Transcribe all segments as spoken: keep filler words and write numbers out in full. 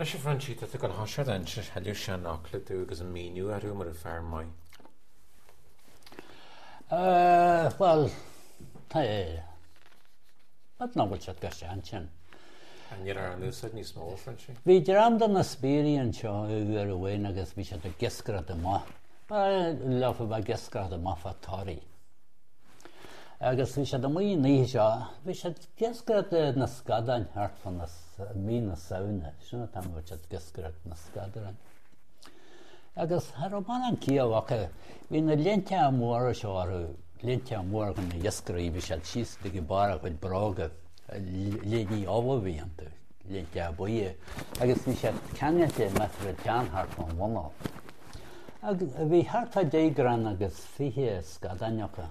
Anois a Phroinsí, tá tú ag gabháil a thoiseacht ag inse thuilleadh seanfhocla domh agus an míniú orthu mar a fear maith. Bhuel, tá B'fhéidir nach bhfuil siad go sean sin. Níl ar an úsáid níos mó, a Phroinsí? Bhí dream de na spiairí anseo uair amháin agus bhí siad ag iascaireacht amuigh. Ba leofa bheith ag iascaireacht amuigh fá Toraigh. Agus bhí siad amuigh an oíche seo, bhí siad ag iascaireacht na scadáin thart fá na, mí na Samhna, sin an t-am a bhí siad ag iascaireacht na scadáin. Agus cha raibh mórán ciall acu, bhí na léinte móra seo orthu, léinte móra chun na iascairí, bhí siad síos go dtí barr a gcuid bróga, léiní ubh a bhí iontu, léinte buí, agus bhí siad ceangailte measartha teann thart fán mhuineál. Agus bhí thart fá deich gcrann agus fiche scadáin acu.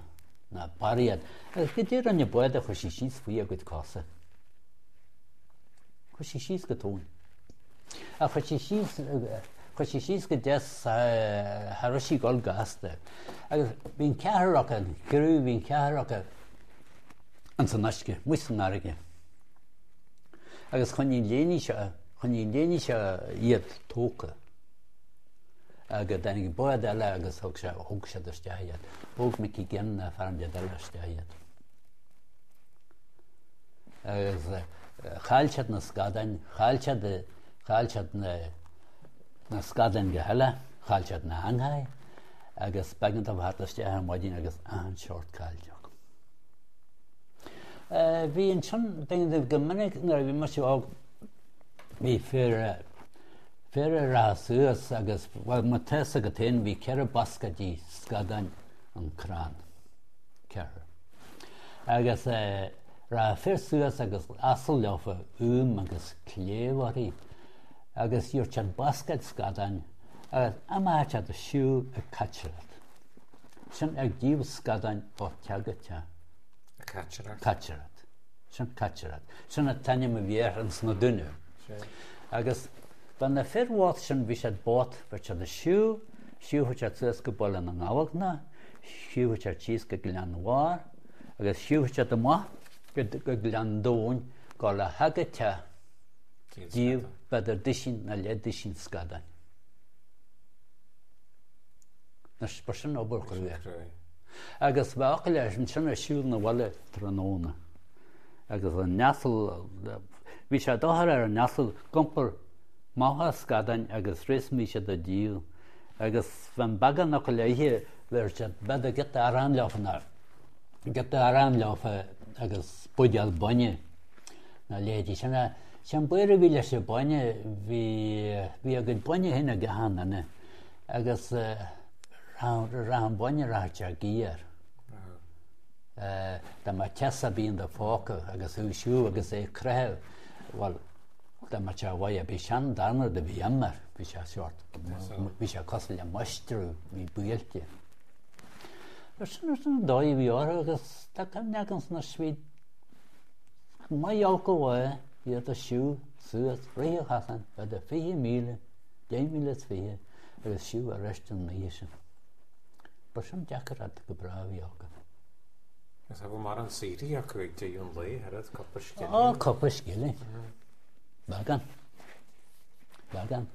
ná barraí iad. Agus goidé rinne an bád a chuir sí síos faoi a gcuid cosa. Chuir sí síos go tóin. Ach chuir sí síos, chuir sí síos go deas, cha raibh sí ag dul gasta. Agus bhí an ceathrar acu, an criú, bhí an ceathrar acu ins an uisce, amuigh san fharraige. Agus choinnigh an léiní seo, choinnigh an léiní seo iad tógtha. Agus tháinig bád eile agus thug sé, thóg siad isteach iad. Thóg Mickey Ginn ná fear an bád eile isteach iad. Agus chaill siad na scadáin, chaill siad, chaill siad na, na scadáin go huile, chaill siad na heangacha agus b'éigean dóibh theacht isteach ar maidin agus achan seort caillte acu. Bhí ansin, b'éigean go minic nuair a bhí mise óg, bhí fir, fir a rachadh suas agus, bhuel, má tá fhios agat féin, bhí ceithre bascaidí scadáin an crann. Ceithre. Agus rachadh fir suas agus asal leofa úm agus cléibh orthu agus gheobhadh siad bascaid scadáin agus imeochadh siad ag siúl ag caitireacht. Sin ag díol scadáin ó teach go teach. Ag caitireacht? Caitireacht. Sin caitireacht. Sin an t-ainm a bhí air ins na Dúnaibh. Agus ba na fir bhocht sin, bhí siad bocht, bheadh siad ag siúl, siúlfadh siad suas go Baile na nGabhach, siúlfadh siad síos go Gleann Bharr, agus siúlfadh siad amach go, go Gleann Domhain, go le theach go teach, díol b'fhéidir duisín nó leath-duisín scadáin. Anois, ba sin obair chrua. Agus bheadh acu leis ansin ar siúl na bhaile tráthnóna. Agus an t-asal, bhí sé dochair ar an asal ag iompar maithe scadáin agus th'réis bhí siad á díol. Agus bheadh beagán acu le ithe, bheadh siad, b'fhéidir giota aráin leofa nó giota aráin leofa agus buidéal bainne nó leithéidí sin. Sé an baol a bhí leis an bainne, bhí, bhí a gcuid bainne féin ag achan duine. Agus rachadh an bainne rachadh sé géar. Dá mbeadh teas ar bith in do phóca agus thú ag siúl agus é ag croitheadh, bhuel, dá mbeadh sé mhaith, bhí sin an darna rud a bhí im air, bhí sé sórt, bhí sé cosúil le maistreadh, bhí buailte. Sin an dóigh a bhí orthu agus tá cuimhne agam sna bhí maith olc ó mhaith iad ag siúl suas rith an chasáin, b'fhéidir fiche míle, deich míle is fiche, agus siúl arís an oíche sin. Ba sin deacair go breá a bhí acu. Agus bhí mórán saothraithe acu ag deireadh an lae, oiread, cúpla scilling. Ó, cúpla scilling. Beagán. Beagán.